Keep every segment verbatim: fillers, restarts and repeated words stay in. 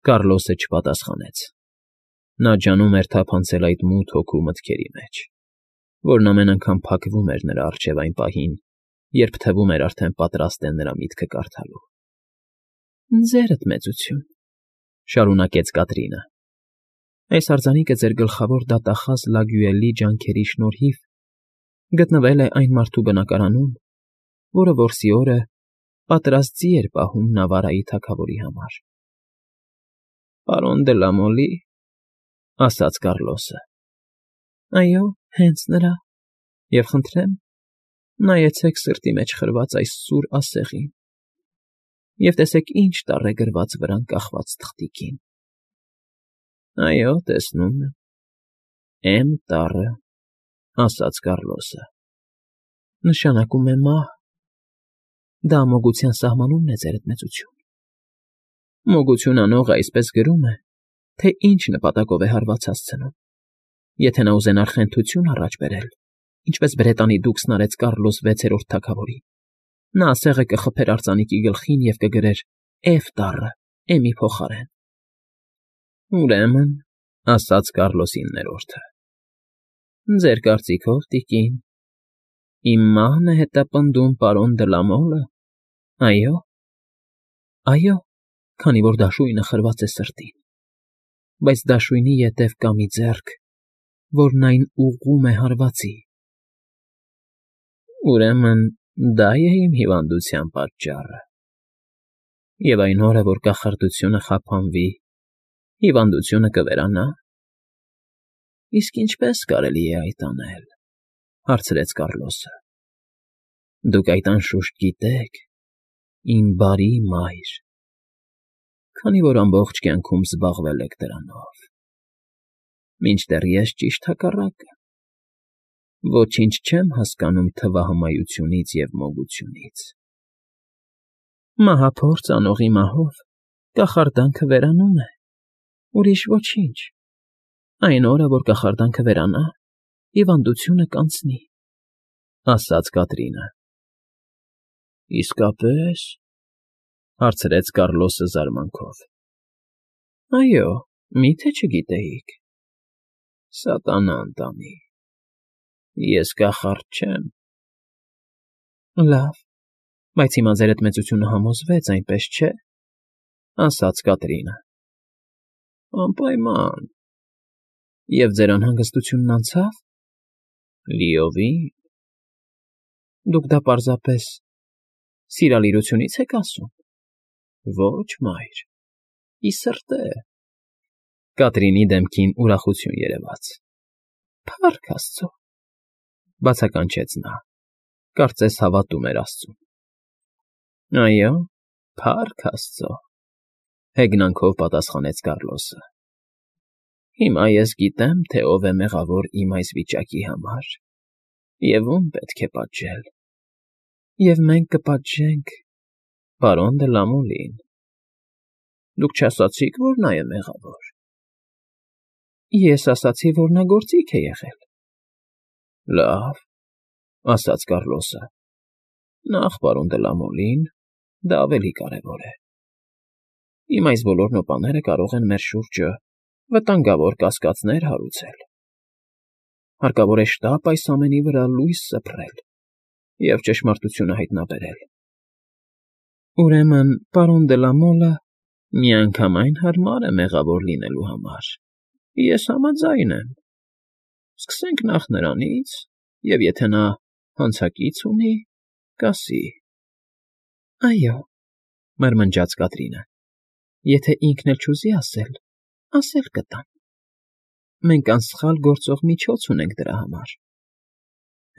Կառլոսը չպատասխանեց։ Նա ջանում էր թափանցել այդ մութ հոգու մտքերի մեջ, որն ամեն անգամ փակվում էր նրա առջև այն պահին, երբ թվում էր արդեն պատրաստ է նրա միտքը կարդալու։ «Ձերդ մեծություն», շարունակեց Կատրինը, «այս արձանիկը ձեր գլխավոր դատախազ Լագյուելի ջանքերի շնորհիվ գտնվել է այն մարդու բնակարանում, որը որսի օրը պատրաստ ձի էր պահում Նավարայի թագավորի համար»։ «Պարոն դը Լամոլի», ասաց Կառլոսը։ «Այո, հենց նրա, և խնդրեմ, նայեցեք սրտի մեջ խրված այս սուր ասեղին և տեսեք ինչ տառ է գրված վրան կախված թղթիկին»։ «Այո, տեսնում եմ, Էմ տառը», ասաց Կառլոսը։ «Նշանակում է մահ։ Դա մոգության սահմանումն է, ձերդ մեծություն։ Մոգություն անողը այսպես գրում է, թե ինչ նպատակով է հարված հասցնում։ Եթե նա ուզենար խենթություն առաջ բերել, ինչպես Բրետանի դուքսն արեց Կառլոս վեցերորդ թագավորին, նա ասեղը կխփեր արձանիկի գլխին և կգրեր Էֆ տառը Էմի փոխարեն»։ «Ուրեմն», ասաց Կառլոս իններորդը, «ձեր կարծիքով, տիկին, իմ մահն է հետապնդում պարոն դը Լամոլը, այո՞»։ «Այո, քանի որ դաշույնը խրված է սրտին, բայց դաշույնի ետև կա մի ձեռք, որն այն ուղղում է հարվածի»։ «Ուրեմն դա է իմ հիվանդության պատճառը։ Եվ այն օրը, որ կախարդությունը խափանվի, հիվանդությունը կվերանա»։ «Իսկ ինչպե՞ս կարելի է այդ անել», հարցրեց Կառլոսը։ «Դուք այդ անշուշտ գիտեք, իմ բարի մայր, քանի որ ամբողջ կյանքում զբաղվել եք դրանով, մինչդեռ ես ճիշտ հակառակը, ոչինչ չեմ հասկանում թվահմայությունից և մոգությունից։ Մահափորձ անողի մահով կախարդանքը վերանում է, ուրիշ ոչինչ։ Այն օրը, որ կախարդանքը վերանա, հիվանդությունը կանցնի», ասաց Կատրինը։ «Իսկապե՞ս», հարցրեց Կառլոսը զարմանքով։ «Այո, մի՞թե չգիտեիք։ Սատանան տանի, ես կախարդ չեմ»։ «Լավ, բայց հիմա ձերդ մեծությունը համոզվեց, այնպես չէ՞, ասաց Կատրինը։ «Անպայման»։ «Եվ ձեր անհանգստությունն անցա՞վ»։ «Լիովին»։ «Դուք դա պարզապես սիրալիրությունից եք ասում»։ «Ոչ, մայր, ի սրտե»։ Կատրինի դեմքին ուրախություն երևաց։ «Փառք Աստծո», բացականչեց նա, կարծես հավատում էր աստծուն։ «Այո, փառք Աստծո», հեգնանքով պատասխանեց Կառլոսը։ «Հիմա ես գիտեմ, թե ով է մեղավոր իմ այս վիճակի համար և ում պետք է պատժել։ Եվ մենք կպատժենք պարոն դը Լամոլին»։ «Դուք չասացիք, որ նա է մեղավոր»։ «Ես ասացի, որ նա գործիք է եղել»։ «Լավ», ասաց Կառլոսը, «նախ պարոն դը Լամոլին, դա ավելի կարևոր է։ Իմ այս բոլոր նոպաները կարող են մեր շուրջը վտանգավոր կասկածներ հարուցել։ Հարկավոր է շտապ այս ամենի վրա լույս սփռել և ճշմարտությունը հայտնաբերել»։ «Ուրեմն պարոն դը Լամոլը միանգամայն հարմար է մեղավոր լինելու համար, ես համաձայն եմ։ Սկսենք նախ նրանից, և եթե նա հանցակից ունի, կասի»։ «Այո», մրմնջաց Կատրինը, «եթե ինքն էլ չուզի ասել, ասել կտամ։ Մենք անսխալ գործող միջոց ունենք դրա համար»։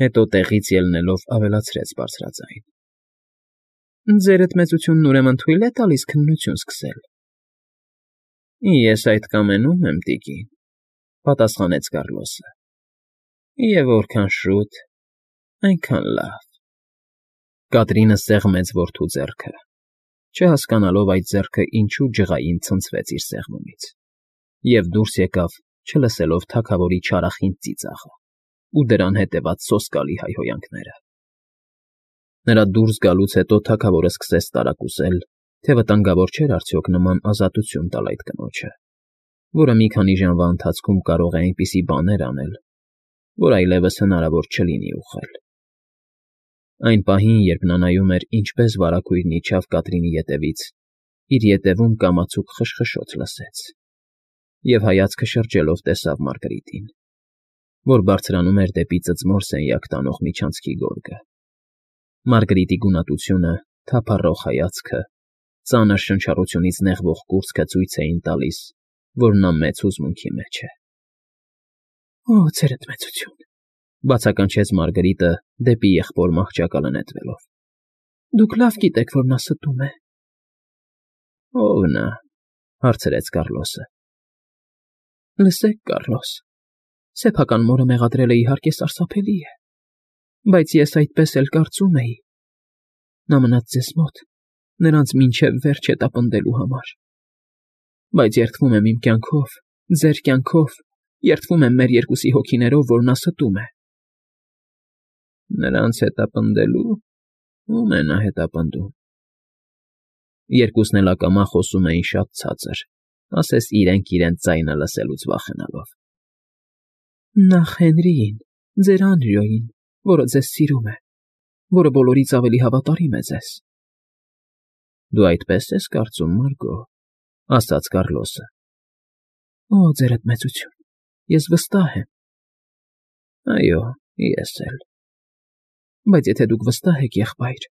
Հետո տեղից ելնելով ավելացրեց բարձրաձայն. «Ձերդ մեծությունն ուրեմն թույլ է տալիս քննություն սկսել»։ «Ես այդ կամենում եմ, տիկին», պատասխանեց Կառլոսը։ «Եվ որքան շուտ, այնքան լավ»։ Կատրինը սեղմեց որդու ձեռքը, չհասկանալով այդ ձեռքը ինչու ջղային ցնցվեց իր սեղմումից, և դուրս եկավ, չլսելով թագավորի չարախինդ ծիծաղը ու դրան հետևած սոսկալի հայհոյանքները։ Նրա դուրս գալուց հետո թագավորը սկսեց տարակուսել Թե վտանգավոր չէր արդյոք նման ազատություն տալ այդ կնոջը, որը մի քանի ժամվա ընթացքում կարող է այնպիսի բաներ անել, որ այլևս հնարավոր չլինի ուղղել։ Այն պահին, երբ նա նայում էր, ինչպես վարագույրն իջավ Կատրինի ետևից, իր ետևում կամացուկ խշխշոց լսեց և հայացքը շրջելով տեսավ Մարգարիտին, որ բարձրանում էր դեպի ծծմոր սենյակ տանող միջանցքի գորգը։ Մարգարիտի գունատությունը, թափառող հայացքը, ծանր շնչառությունից նեղվող կուրծքը ցույց էին տալիս, որ նա մեծ հուզմունքի մեջ է։ ֊ Օ, ձերդ մեծություն,֊ բացականչեց Մարգարիտը դեպի եղբոր մահճակալը նետվելով։֊ Դուք լավ գիտեք, որ նա ստում է։ ֊ Ո՞վ նա,֊ հարցրեց Կառլոսը։ ֊ Լսեք, Կառլոս, սեփական մորը մեղադրելը, իհարկե, սարսափելի է, բայց ես այդպես էլ կարծում էի. նա մնաց ձեզ մոտ, նրանց մինչև վերջ հետապնդելու համար, բայց երդվում եմ իմ կյանքով, ձեր կյանքով, երդվում եմ մեր երկուսի հոգիներով, որ նա ստում է։ ֊ Նրանց հետապնդելու… Ո՞ւմ է նա հետապնդում։ Երկուսն էլ ակամա խոսում էին շատ ցածր, ասես իրենք իրենց ձայնը լսելուց վախենալով։ ֊ Նախ Հենրիին, ձեր Անրիոյին, որը ձեզ սիրում է, որը բոլորից ավելի հավատարիմ է ձեզ։ ֊ Դու այդպես ես կարծում, Մարգո,֊ ասաց Կառլոսը։ ֊ Օ, ձերդ մեծություն, ես վստահ եմ։ ֊ Այո, ես էլ։ ֊ Բայց եթե դուք վստահ եք, եղբայր,֊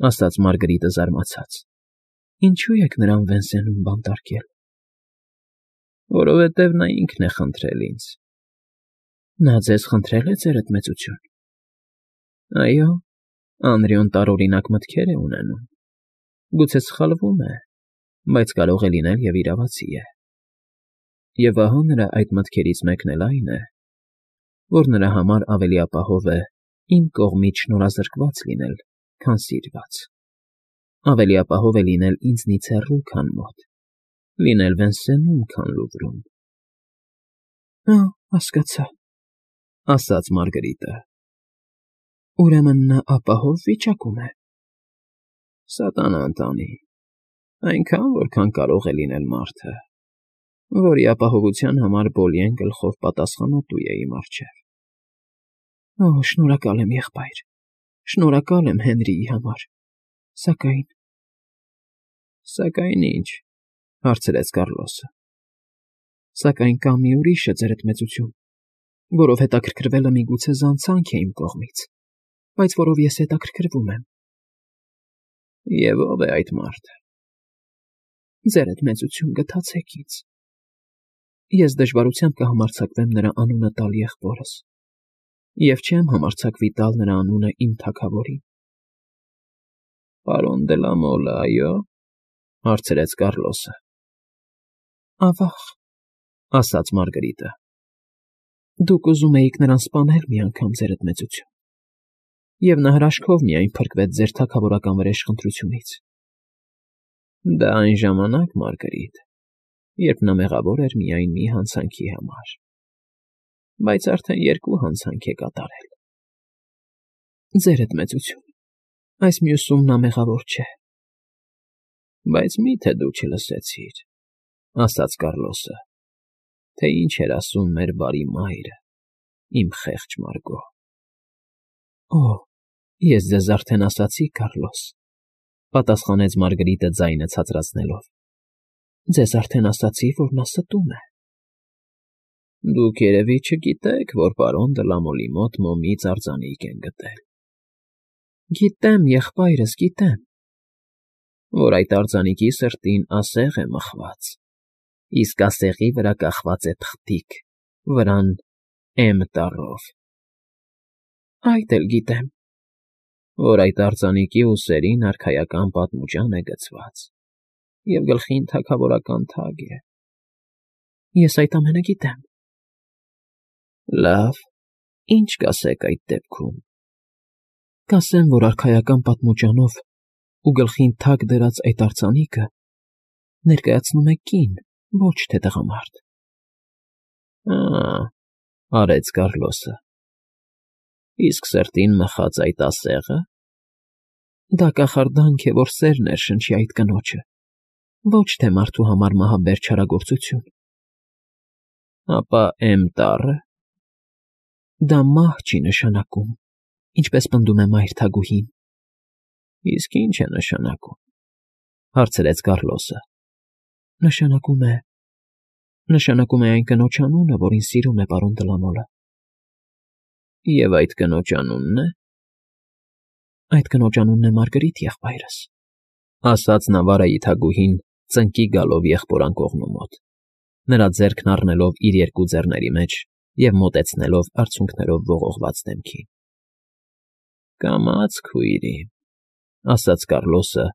ասաց Մարգարիտը զարմացած,֊ ինչո՞ւ եք նրան Վենսենում բանտարկել։ ֊ Որովհետև նա ինքն է խնդրել ինձ։ ֊ Նա ձեզ խնդրե՞լ է, ձերդ մեծություն։ ֊ Այո, Անրիոն տարօրինակ մտքեր է ունենում, գուցե սխալվում է, բայց կարող է լինել և իրավացի է։ Եվ ահա նրա այդ մտքերից մեկն էլ այն է, որ նրա համար ավելի ապահով է իմ կողմից շնորհազրկված լինել, քան սիրված, ավելի ապահով է լինել ինձնից հեռու, քան մոտ, լինել Վենսենում, քան Լուվրում։ ֊ Ա՜, հասկացա,֊ ասաց Մարգարիտը։ ֊ Ուրեմն նա ապահով վիճակում է։ ֊ Սատանան տանի, այնքան, որքան կարող է լինել մարդը, որի ապահովության համար Բոլիեն գլխով պատասխանատու է իմ առջև։ ֊ Օ, շնորհակալ եմ, եղբայր, շնորհակալ եմ Հենրիի համար, սակայն… ֊ Սակայն ի՞նչ,֊ հարցրեց Կառլոսը։ ֊ Սակայն կա մի ուրիշը, ձերդ մեծություն, որով հետաքրքրվելը միգուցե զանցանք է իմ կողմից, բայց որով ես հետաքրքրվում եմ։ ֊ Եվ ո՞վ է այդ մարդը։ ֊ Ձերդ մեծություն, գթացեք ինձ… Ես դժվարությամբ կհամարձակվեմ նրա անունը տալ եղբորս և չեմ համարձակվի տալ նրա անունը իմ թագավորին։ ֊ Պարոն դե լա Մոլը, այո՞, հարցրեց Կառլոսը։ ֊ Ավա՜ղ,֊ ասաց Մարգարիտը։ ֊ Դուք ուզում էիք նրան սպանել մի անգամ, ձերդ մեծություն, և նա հրաշքով միայն փրկվեց ձեր թագավորական վրեժխնդրությունից։ ֊ Դա այն ժամանակ, Մարգարիտ, երբ նա մեղավոր էր միայն մի հանցանքի համար, բայց արդեն երկու հանցանք է կատարել։ ֊ Ձերդ մեծություն, այս մյուսում նա մեղավոր չէ։ ֊ Բայց մի՞թե դու չլսեցիր,֊ ասաց Կառլոսը,֊ թե ինչ էր ասում մեր բարի մայրը, իմ խեղճ Մարգո։ ֊ Օ, ես ձեզ արդեն ասացի, Կառլոս,֊ պատասխանեց Մարգարիտը ձայնը ցածրացնելով,֊ ձեզ արդեն ասացի, որ նա ստում է։ ֊ Դուք, երևի, չգիտեք, որ պարոն դը Լամոլի մոտ մոմից արձանիկ են գտել։ ֊ Գիտեմ, եղբայրս, գիտեմ։ ֊ Որ այդ արձանիկի սրտին ասեղ է մխված, իսկ ասեղի վրա կախված է թղթիկ, վրան էմ տառով։ ֊ Այդ էլ գիտեմ։ ֊ Որ այդ արձանիկի ուսերին արքայական պատմուջան է գցված և գլխին թագավորական թագ է։ ֊ Ես այդ ամենը գիտեմ։ ֊ Լավ, ի՞նչ կասեք այդ դեպքում։ ֊ Կասեմ, որ արքայական պատմուջանով ու գլխին թագ դրած այդ արձանիկը ներկայացնում է կին, ոչ թե տղամարդ։ ֊ Ա՜, արեց Կառլոսը,֊ իսկ սրտին մխած այդ ասե՞ղը։ ֊ Դա կախարդանք է, որ սեր ներշնչի այդ կնոջը, ոչ թե մարդու համար մահաբեր չարագործություն։ Ապա էն տառը… Դա մահ չի նշանակում, ինչպես պնդում է մայր թագուհին։ Իսկ ի՞նչ է նշանակում,֊ հարցրեց Կառլոսը։ Նշանակում է… Նշանակում է այն կնոջ անունը, որին սիրում է պարոն Դլամոլը։ Եվ այդ կնոջ անունն է… Այդ կնոջ անունն է Մարգարիտ, եղբայրս,֊ ասաց Նավարայի թագուհին ծնկի գալով եղբոր անկողնու մոտ, նրա ձեռքն առնելով իր երկու ձեռների մեջ և մոտեցնելով արցունքներով ողողված դեմքին։ Կամաց, քույրիմ,֊ ասաց Կառլոսը,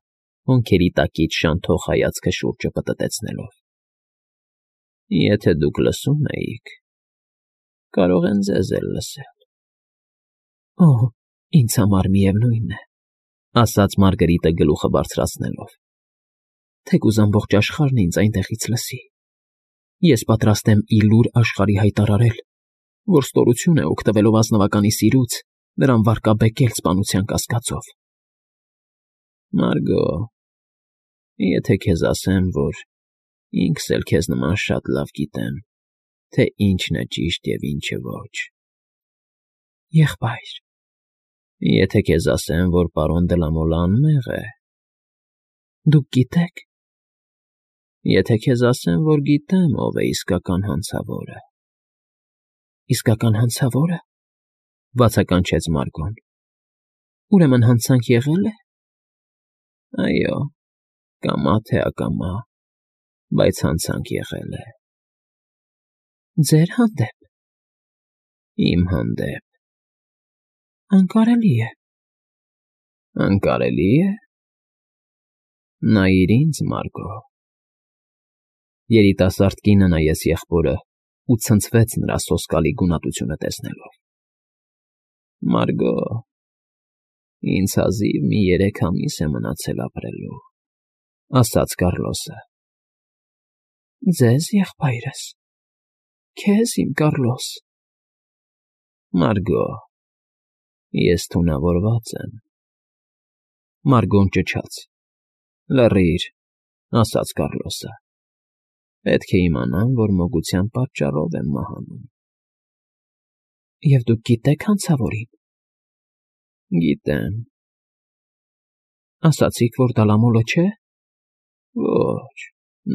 հոնքերի տակից շանթող հայացքը շուրջը պտտեցնելով։ Եթե դուք լսում էիք, կարող են ձեզ էլ լսել։ Օհ, ինձ համար միևնույն է,֊ ասաց Մարգարիտը գլուխը բարձրացնելով, թեկուզ ամբողջ աշխարհն ինձ այնտեղից լսի։ Ես պատրաստ եմ ի լուր աշխարհի հայտարարել, որ ստորություն է օգտվելով ազնվականի սիրուց նրան վարկաբեկել սպանության կասկածով։ Մարգո, եթե քեզ ասեմ, որ ինքս էլ քեզ նման շատ լավ գիտեմ, թե ինչն է ճիշտ և ինչը ոչ… Եղբայր… Եթե քեզ ասեմ, որ պարոն Դլամոլը անմեղ է… Դուք գիտեք… Եթե քեզ ասեմ, որ գիտեմ, ով է իսկական հանցավորը… Իսկական հանցավո՞րը,֊ բացականչեց Մարգոն։ Ուրեմն հանցանք եղե՞լ է… Այո, կամա թե ակամա, բայց հանցանք եղել է… Ձեր հանդեպ… Իմ հանդեպ… Անկարելի է… Անկարելի է… Նայիր ինձ, Մարգո… Երիտասարդ կինը նայեց եղբորը ու ցնցվեց նրա սոսկալի գունատությունը տեսնելով։ Մարգո, ինձ հազիվ մի երեք ամիս է մնացել ապրելու,֊ ասաց Կառլոսը։ Ձեզ, եղբայրս… Քեզ, իմ Կառլոս… Մարգո, ես թունավորված եմ… Մարգոն ճչաց։ Լռիր,֊ ասաց Կառլոսը։ Պետք է իմանան, որ մոգության պատճառով եմ մահանում։ Եվ դուք գիտեք հանցավորին… Գիտեմ… Ասացիք, որ Դալամոլը չէ… Ոչ,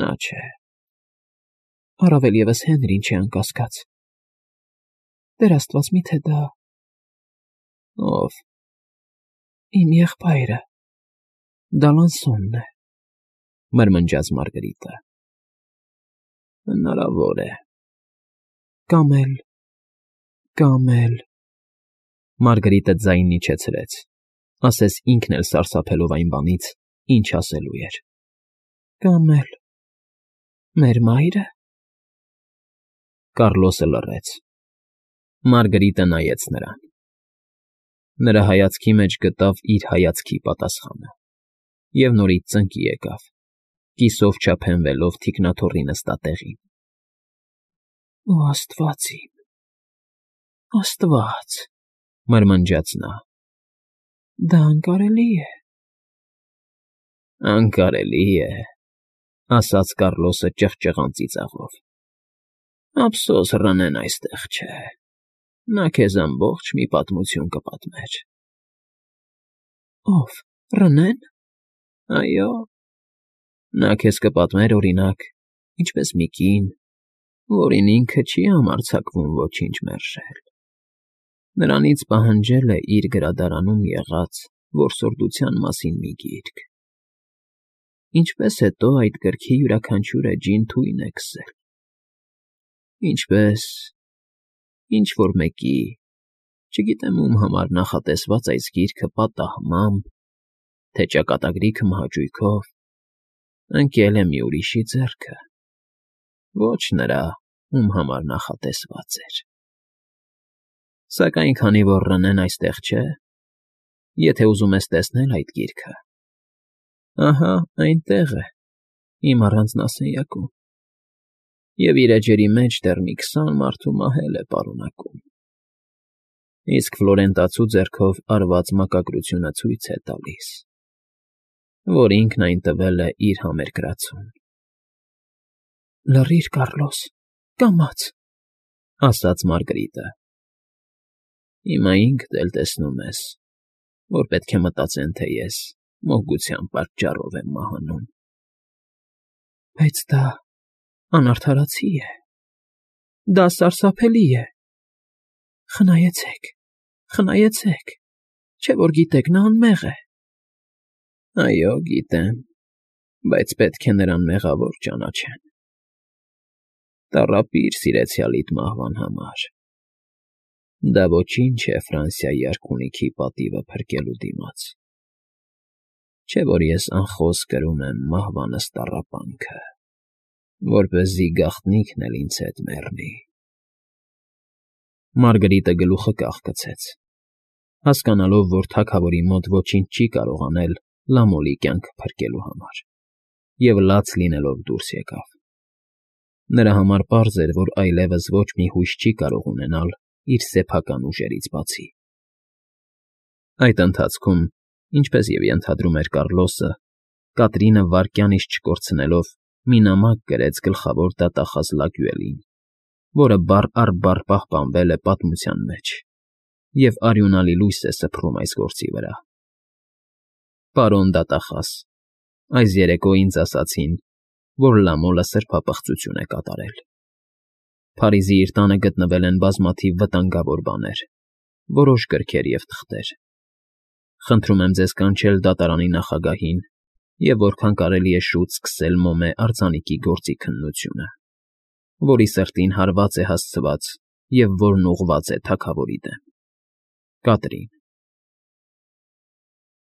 նա չէ… Առավել ևս Հենրին չէ, անկասկած… Տեր աստված, մի՞թե դա… Ո՞վ… Իմ եղբայրը… Դալանսոնն է…֊ մրմնջաց Մարգարիտը։ Հնարավոր է… Կամ էլ… Կամ էլ… Մարգարիտը ձայնն իջեցրեց, ասես ինքն էլ սարսափելով այն բանից, ինչ ասելու էր։ Կամ էլ… մեր մա՞յրը… Կառլոսը լռեց։ Մարգարիտը նայեց նրան։ Նրա հայացքի մեջ գտավ իր հայացքի պատասխանը և նորից ծնկի եկավ, կիսով չափենվելով թիկնաթոռի նստատեղին։ Օ աստված իմ… Աստված…֊ մրմնջաց նա։ Դա անկարելի է… Անկարելի է,֊ ասաց Կառլոսը ճղճղան ծիծաղով։ Ափսոս Ռենեն այստեղ չէ… Նա քեզ ամբողջ մի պատմություն կպատմեր։ Ո՞վ… Ռնե՞ն… Այո… Նա քեզ կպատմեր, օրինակ, ինչպես մի կին, որին ինքը չի համարձակվում ոչինչ մերժել, նրանից պահանջել է իր գրադարանում եղած որսորդության մասին մի գիրք, ինչպես հետո այդ գրքի յուրաքանչյուր էջին թույն է քսել, ինչպես… ինչ֊որ մեկի, չգիտեմ ում համար նախատեսված այս գիրքը պատահմամբ, թե ճակատագրի քմահաճույքով, ընկել է մի ուրիշի ձեռքը, ոչ նրա, ում համար նախատեսված էր… Սակայն քանի որ Ռենեն այստեղ չէ, եթե ուզում ես տեսնել այդ գիրքը, ահա այնտեղ է, իմ առանձնասենյակում, և իր էջերի մեջ դեռ մի քսան մարդու մահել է պարունակում, իսկ Ֆլորենտացու ձեռքով արված մակագրությունը ցույց է տալիս, որ ինքն այն տվել է իր համերկրացուն։ ֊ Լռիր, Կառլոս, կամաց,֊ ասաց Մարգարիտը։ Հիմա ինքդ էլ տեսնում ես, որ պետք է մտածեն, թե ես մոգության պատճառով եմ մահանում։ ֊ Բայց դա անարդարացի է, դա սարսափելի է… Խնայեցեք, խնայեցեք, չէ՞ որ գիտեք, նա անմեղ է… ֊ Այո, գիտեմ, բայց պետք է նրան մեղավոր ճանաչեն… Տառապիր սիրեցյալիդ մահվան համար… Դա ոչինչ է Ֆրանսիայի արքունիքի պատիվը փրկելու դիմաց… Չէ՞ որ ես անխոս կրում եմ մահվանս տառապանքը, որպեսզի գաղտնիքն էլ ինձ հետ մեռնի… Մարգարիտը գլուխը կախկցեց, հասկանալով, որ թագավորի մոտ ոչինչ չի կարող անել Լամոլի կյանքը փրկելու համար, և լաց լինելով դուրս եկավ… Նրա համար պարզ էր, որ այլևս ոչ մի հույս չի կարող ունենալ իր սեփական ուժերից բացի… Այդ ընթացքում, ինչպես և ենթադրում էր Կառլոսը, Կատրինը վայրկյան իսկ չկորցնելով մի նամակ գրեց գլխավոր դատախազ Լագյուելին, որը բառ առ բառ պահպանվել է պատմության մեջ, և արյունալի լույս է սփռում այս գործի վրա… Պարոն դատախազ, այս երեկո ինձ ասացին, որ Լամոլը սրբապղծություն է կատարել… Փարիզի իր տանը գտնվել են բազմաթիվ վտանգավոր բաներ, որոշ գրքեր և թղթեր… Խնդրում եմ ձեզ կանչել դատարանի նախագահին և որքան կարելի է շուտ սկսել մոմե արձանիկի գործի քննությունը, որի սրտին հարված է հասցված և որն ուղղված է թագավորի դեմ… Կատրին։